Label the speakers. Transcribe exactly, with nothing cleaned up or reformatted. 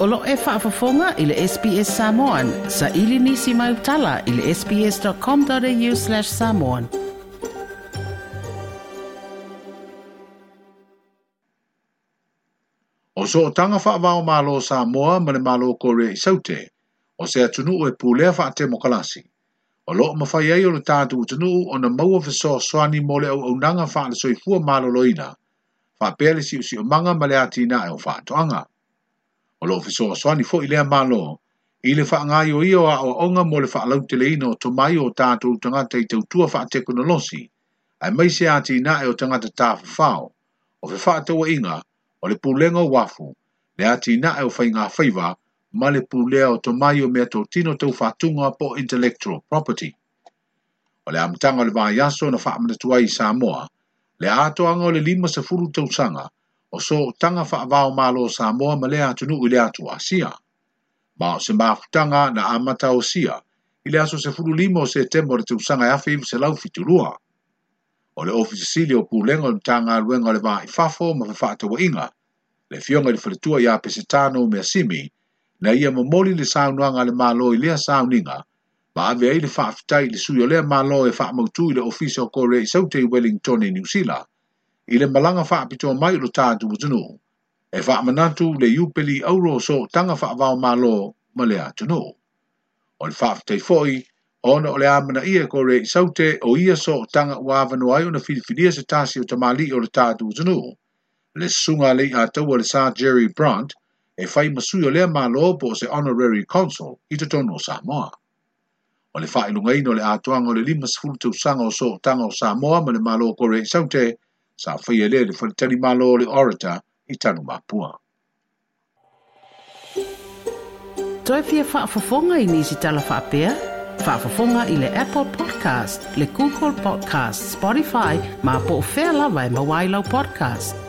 Speaker 1: O lo e faafofoga i le S B S Samoan, sa ili nisi mai utala i le S B S dot com dot A U slash samoan.
Speaker 2: O sootaga faava-o-Malo Samoa ma le Malo Korea i Saute, o se atunuu e pulea faatemokalasi. O loo mafai ai o le tatou atunuu ona maua fesoasoani mo le auaunaga faale-soifua maloloina, faapea le siosiomaga ma le atinae o faatoaga. O loo fesoasoani foi lea Malo i le faagaioia o aoaoga mo le faalauteleina o tomai o tatou tagata i tautua faatekonolosi, aemaise atinae o tagata tafafao, o fefaatauaiga, o le pulega o uafu, le atinae o faiga faiva ma le pulea o tomai o mea totino tau faatuga po intellectual property. O le amataga o le vaiaso na faamanatu ai i Samoa, le atoaga o le lima sefulu tausaga o sootaga faava-o-Malo Samoa ma lea atunuu i le atu Asia. Ma o se mafutaga na amata osia i le aso sefulu lima o Setema o le tausaga e afe iva selau fitu lua. O le Ofisa Sili o Pulega o le Matagaluega o le Va i Fafo ma Fefaatauaiga, le afioga i le faletua ia Pesetano Measimi, na ia momoli le saunoaga a le Malo i lea sauniga, ma ave ai le faafetai i le sui o lea Malo e faamautu i le Ofisa o Korea i Saute i Wellington i Niu Sila, i le malaga faapitoa mai o lo tatou atunuu, e faamanatu le iupeli auro o sootaga faava-o-Malo ma le atunuu. O le faafetai foi, ona o le amanaia e Korea i Saute o ia sootaga ua avanoa ai ona filifilia se tasi o tamalii o le tatou atunuu, le susuga a Leiataua le Sir Jerry Brandt, e fai ma sui o lea Malo po o se honorary consul i totonu o Samoa. O le faailogaina o le atoaga o le lima sefulu tausaga o sootaga o Samoa ma le Malo o Korea i Saute, sa faia lea i le faletalimalo o le Orator i Tanumapua.
Speaker 1: Toe fia faafofoga i nisi tala faapea? Faafofoga i le Apple Podcast, le Google Podcast, Spotify, ma po o fea lava e maua ai lau podcast.